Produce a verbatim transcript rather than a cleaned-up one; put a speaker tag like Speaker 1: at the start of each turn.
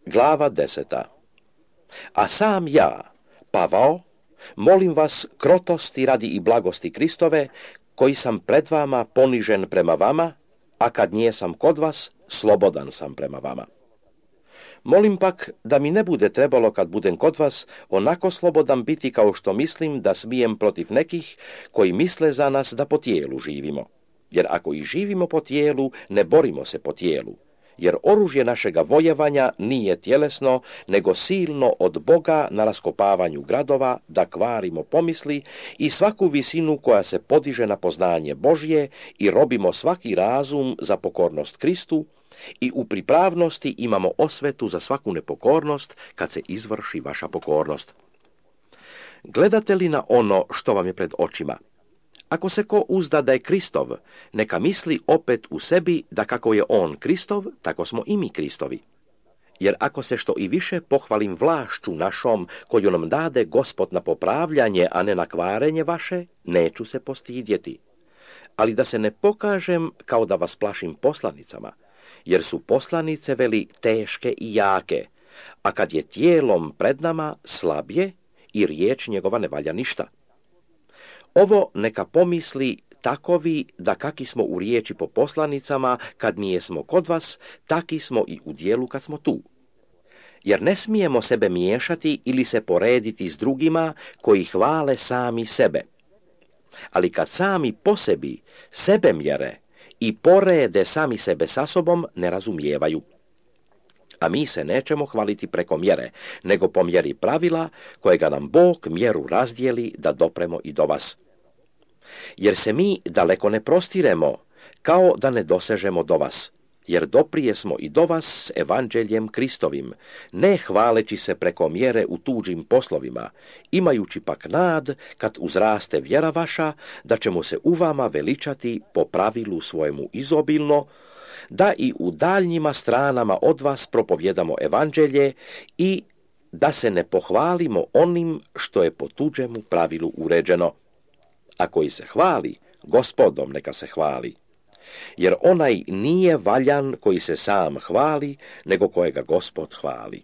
Speaker 1: Glava deseta. A sam ja, Pavao, molim vas krotosti radi i blagosti Kristove, koji sam pred vama ponižen prema vama, a kad nijesam kod vas, slobodan sam prema vama. Molim pak da mi ne bude trebalo kad budem kod vas onako slobodan biti kao što mislim da smijem protiv nekih koji misle za nas da po tijelu živimo. Jer ako i živimo po tijelu, ne borimo se po tijelu. Jer oružje našega vojevanja nije tjelesno, nego silno od Boga na raskopavanju gradova, da kvarimo pomisli i svaku visinu koja se podiže na poznanje Božje i robimo svaki razum za pokornost Kristu i u pripravnosti imamo osvetu za svaku nepokornost kad se izvrši vaša pokornost. Gledate li na ono što vam je pred očima? Ako se ko uzda da je Kristov, neka misli opet u sebi da kako je on Kristov, tako smo i mi Kristovi. Jer ako se što i više pohvalim vlašću našom, koju nam dade Gospod na popravljanje, a ne na kvarenje vaše, neću se postidjeti. Ali da se ne pokažem kao da vas plašim poslanicama, jer su poslanice veli teške i jake, a kad je tijelom pred nama slabije i riječ njegova ne valja ništa. Ovo neka pomisli takovi da kaki smo u riječi po poslanicama kad nijesmo kod vas, taki smo i u dijelu kad smo tu. Jer ne smijemo sebe miješati ili se porediti s drugima koji hvale sami sebe. Ali kad sami po sebi sebe mjere i porede sami sebe sa sobom, ne razumijevaju. A mi se nećemo hvaliti preko mjere, nego po mjeri pravila kojega nam Bog mjeru razdijeli da dopremo i do vas. Jer se mi daleko ne prostiremo, kao da ne dosežemo do vas, jer doprije smo i do vas s evanđeljem Kristovim, ne hvaleći se preko mjere u tuđim poslovima, imajući pak nad, kad uzraste vjera vaša, da ćemo se u vama veličati po pravilu svojemu izobilno, da i u daljnjima stranama od vas propovjedamo evanđelje i da se ne pohvalimo onim što je po tuđemu pravilu uređeno. A koji se hvali, Gospodom neka se hvali. Jer onaj nije valjan koji se sam hvali, nego kojega Gospod hvali.